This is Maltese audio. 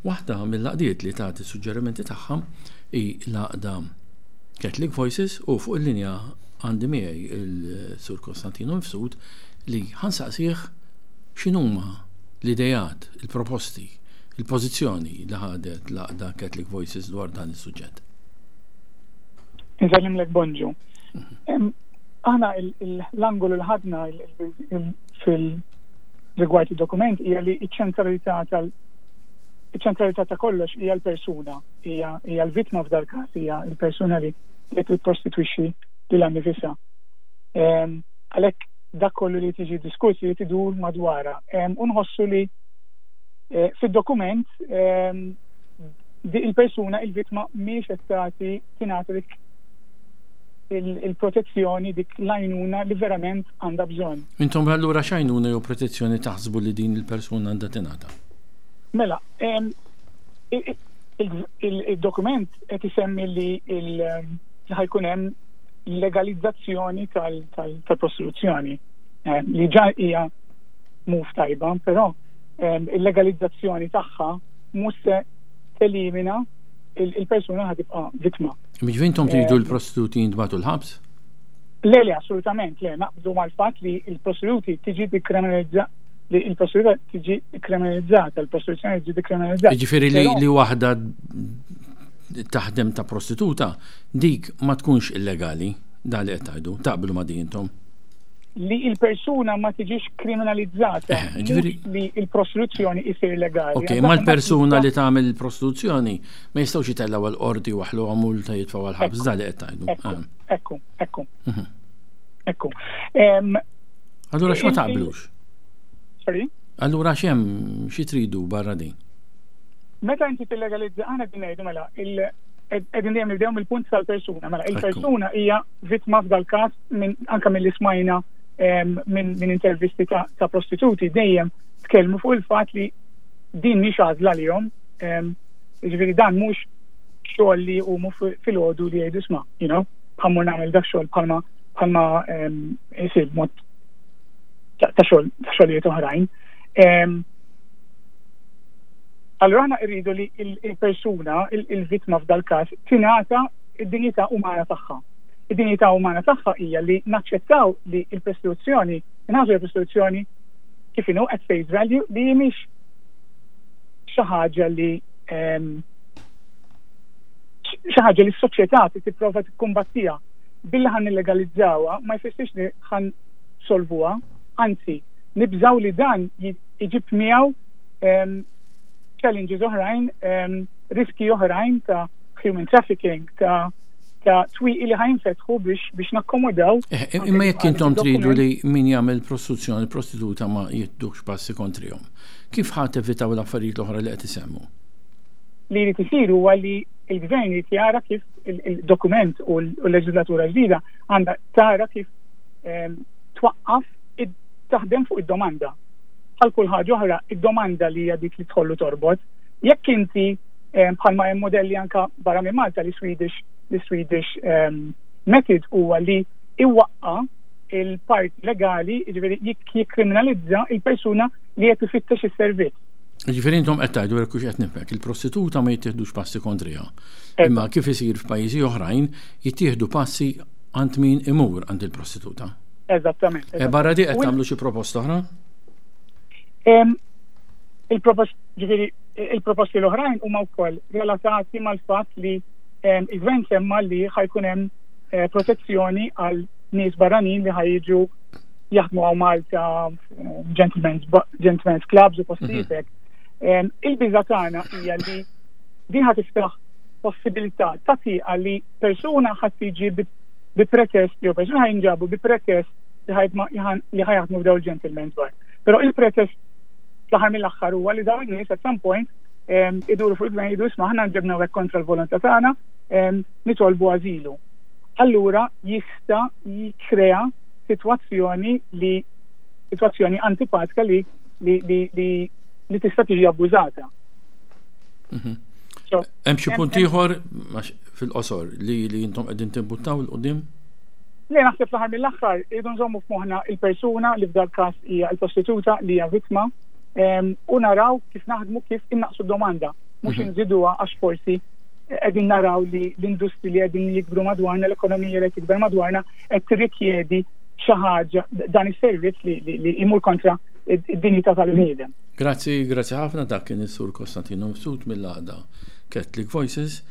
Waħda mill-għaqdiet li tagħti suġġerimenti tagħha hi l-għaqda Catholic Voices u fuq il-linja għandi miegħi il-Sur Konstantino Mifsud li ħansaqsih x'inhuma l-idejat, il-proposti, il-pożizzjoni li ħadet l-għaqda Catholic Voices dwar dan is-suġġett. Nsellimlek bonġu. Mhm. Aħna l-angolu li ħadna fil-rigward id-dokument hija li ċ-ċentralità tal iċ-ċentralità ta' kollox hija l-persuna, hija l-vittma f'dal każ, hija l-persuna li qed tipprostitwixxi lilha nnifisha. Għalhekk dak kollu li tiġi diskuss li idur madwarha. U nħossu li eh, fid-dokument il-persuna, il-vittma mhijiex qed tagħti tingħata dik il-protezzjoni dik l-għajnuna li verament għandha bżonn. Intom allura x'għajnuna jew protezzjoni taħsbu li din il-persuna għandha tingħata? Mela, il-dokument qed isemmi li ħajkun hemm legalizzazzjoni tal-prostituzzjoni li ġa hija move tajba, però il-legalizzazzjoni tagħha mhux se telimina il-persuna ħad tibqa' vittma. Jiġifieri intom tridu l-prostituti jintbagħtu l-ħabs? Le, le, assolutament, le, naqbdu mal-fatt li l-prostituti tiġi dikriminalizza li l-prostituta tiġi kriminalizzata, l-prostituzzjoni tiġi dikriminalizzata. Jiġifieri li, li waħda taħdem ta' prostituta, dik ma tkunx illegali, da li qed tgħidu, taqblu ma' din intom. Li il-persuna ma tiġix kriminalizzata, eh, ġifieri li il-prostituzzjoni isir legali. Ok, ma l-persuna li tagħmel il-prostituzzjoni ma jistgħux jitellgħu għal qorti waħlu multa jitfgħu għal ħabs da li qed tgħidu. Ekku, ah. ekku, ekku. Mhm. Ekku. Allura x'ma taqblux? Sorry? Allura x'hemm xi tridu barra din? Meta inti tillegalizza aħna qegħdin ngħidu mela qegħdin dejjem nibdew mill-punt tal-persuna. Mela il-persuna hija vittma f'dal każ minn anke milli smajna minn intervisti ta' prostituti dejjem tkellmu fuq il-fatt li din mhix għażla lihom. Jiġifieri dan mhux xogħol li jqumu filgħodu li jgħidu sma, you know, ħammur nagħmel dak xogħol bħalma bħalma isir b'mod ta' xogħol ta' xogħlijiet oħrajn. Allura aħna rridu li il-persuna, il-vittma f'dal każ, tingħata id-dinjità umana tagħha. Id-dinjità umana tagħha hija li naċċettaw li l-prostituzzjoni, inħarsu l-prostituzzjoni kif inhu at face value li mhix xi ħaġa li xi ħaġa li s-soċjetà tipprova tikkumbattiha. Billi ħan nillegalizzawha ma jfissirx li ħan solvuha, anzi nibżaw li dan iġib miegħu challenges oħrajn, riski oħrajn ta' human trafficking, ta' ta' twieqi li ħajnfetħu biex biex nakkomodaw. Eh, imma jekk intom tridu li min jagħmel prostituzzjoni, prostituta ma jittux passi kontrihom. Kif ħa tevitaw l-affarijiet l-oħra li qed isemmu? Li jrid isir huwa li il-gvern jrid jara kif il-dokument u l-leġislatura ġdida għandha tara kif ehm, twaqqaf taħdem fuq id-domanda. Bħal kull ħaġa oħra, id-domanda li hija dik li tħollu torbot. Jekk inti ehm, bħalma hemm modelli anka barra minn Malta li Swedish li Swedish ehm, method huwa li iwaqqa il-part legali, jiġifieri jikkriminalizza il-persuna li qed ifittex is-servizz. Ġifieri intom qed tgħidu jekk hux qed nifhmek, il-prostituta ma jittieħdux passi kontriha. Imma kif isir f'pajjiżi oħrajn, jittieħdu passi għand min imur għand il-prostituta. Eżattament. E barra di qed tagħmlu xi proposta oħra? Il-propost, ġifieri, il-proposti l-oħrajn huma wkoll relatati mal-fatt li il-gvern semma li ħajkun hemm eh, protezzjoni għal nies barranin li ħajġu jaħdmu għaw Malta, eh, gentlemen's, gentlemen's clubs u postijiet mhm. hekk. Il-biża tagħna hija li din ħa tiftaħ possibilità ta' tieqa li persuna ħadd tiġi bi pretest jew persuna ħajnġabu bi pretest li ħajaħdmu f'daw il-gentlemen's bar. Però il-pretest fl-aħħar mill-aħħar huwa li dawn in-nies at some point iduru fuq il-gvern jgħidu isma' aħna nġebna hekk kontra l-volontà tagħna nitolbu ażilu. Allura jista' jikkrea sitwazzjoni li sitwazzjoni antipatika li li li li, li tista' tiġi abbużata. Mhm. Hemm xi punt ieħor fil-qosor li li intom qegħdin timbuttaw 'l quddiem? Le naħseb fl-aħħar mill-aħħar irridu nżommu f'moħħna il-persuna li f'dal każ hija l-prostituta li hija vittma. U naraw kif naħdmu kif innaqsu domanda, mhux mhm. inżiduha għax forsi qegħdin naraw li l-industri li qegħdin jikbru madwarna, l-ekonomija li qed tikber madwarna qed tirrikjedi xi ħaġa dan is-servizz li jmur kontra id-dinjità tal-bniedem. Grazzi, grazzi ħafna dak kien is-Sur Konstantino Mifsud mill-għaqda Catholic Voices.